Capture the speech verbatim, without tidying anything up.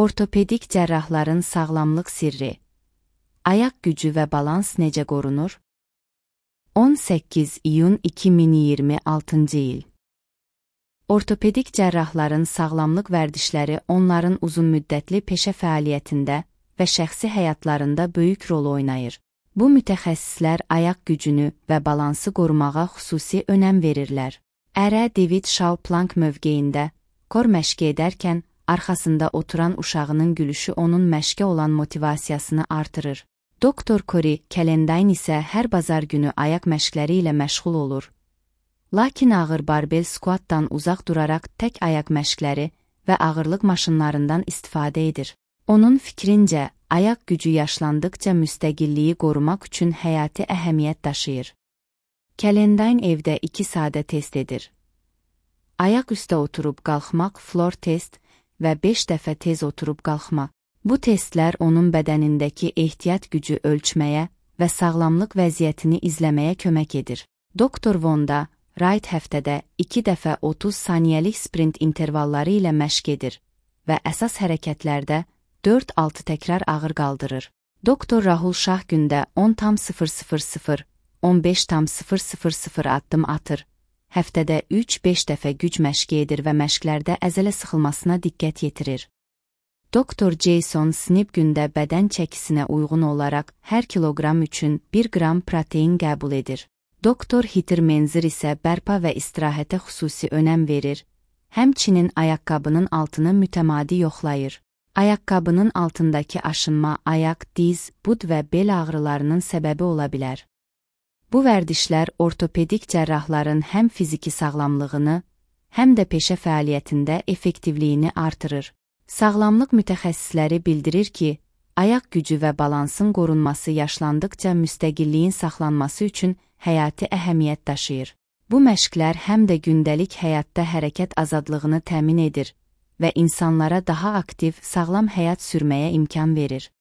Ortopedik cərrahların sağlamlıq sirri. Ayaq gücü və balans necə qorunur? on səkkiz iyun iki min iyirmi altıncı il. Ortopedik cərrahların sağlamlıq vərdişləri onların uzunmüddətli peşə fəaliyyətində və şəxsi həyatlarında böyük rol oynayır. Bu mütəxəssislər ayaq gücünü və balansı qorumağa xüsusi önəm verirlər. Ərə David Shaw-Planck mövqeyində kor məşqi edərkən arxasında oturan uşağının gülüşü onun məşqə olan motivasiyasını artırır. Doktor Corey Calendine isə hər bazar günü ayaq məşqləri ilə məşğul olur. Lakin ağır barbell squatdan uzaq duraraq tək ayaq məşqləri və ağırlıq maşınlarından istifadə edir. Onun fikrincə, ayaq gücü yaşlandıqca müstəqilliyi qorumaq üçün həyati əhəmiyyət daşıyır. Calendine evdə iki sadə test edir. Ayaq üstə oturub qalxmaq floor test və beş dəfə tez oturub qalxmaq. Bu testlər onun bədənindəki ehtiyat gücü ölçməyə və sağlamlıq vəziyyətini izləməyə kömək edir. Doktor Vonda Wright həftədə iki dəfə otuz saniyəlik sprint intervalları ilə məşq edir və əsas hərəkətlərdə dörd altı təkrar ağır qaldırır. Doktor Rahul Shah gündə on tam sıfır sıfır sıfır, on beş tam sıfır sıfır sıfır addım atır. Həftədə üç beş dəfə güc məşqi edir və məşqlərdə əzələ sıxılmasına diqqət yetirir. Doktor Jason Snip gündə bədən çəkisinə uyğun olaraq hər kiloqram üçün bir qram protein qəbul edir. Doktor Heather Menzer isə bərpa və istirahətə xüsusi önəm verir, həmçinin ayaqqabının altını mütəmadi yoxlayır. Ayaqqabının altındakı aşınma ayaq, diz, bud və bel ağrılarının səbəbi ola bilər. Bu vərdişlər ortopedik cərrahların həm fiziki sağlamlığını, həm də peşə fəaliyyətində effektivliyini artırır. Sağlamlıq mütəxəssisləri bildirir ki, ayaq gücü və balansın qorunması yaşlandıqca müstəqilliyin saxlanması üçün həyati əhəmiyyət daşıyır. Bu məşqlər həm də gündəlik həyatda hərəkət azadlığını təmin edir və insanlara daha aktiv, sağlam həyat sürməyə imkan verir.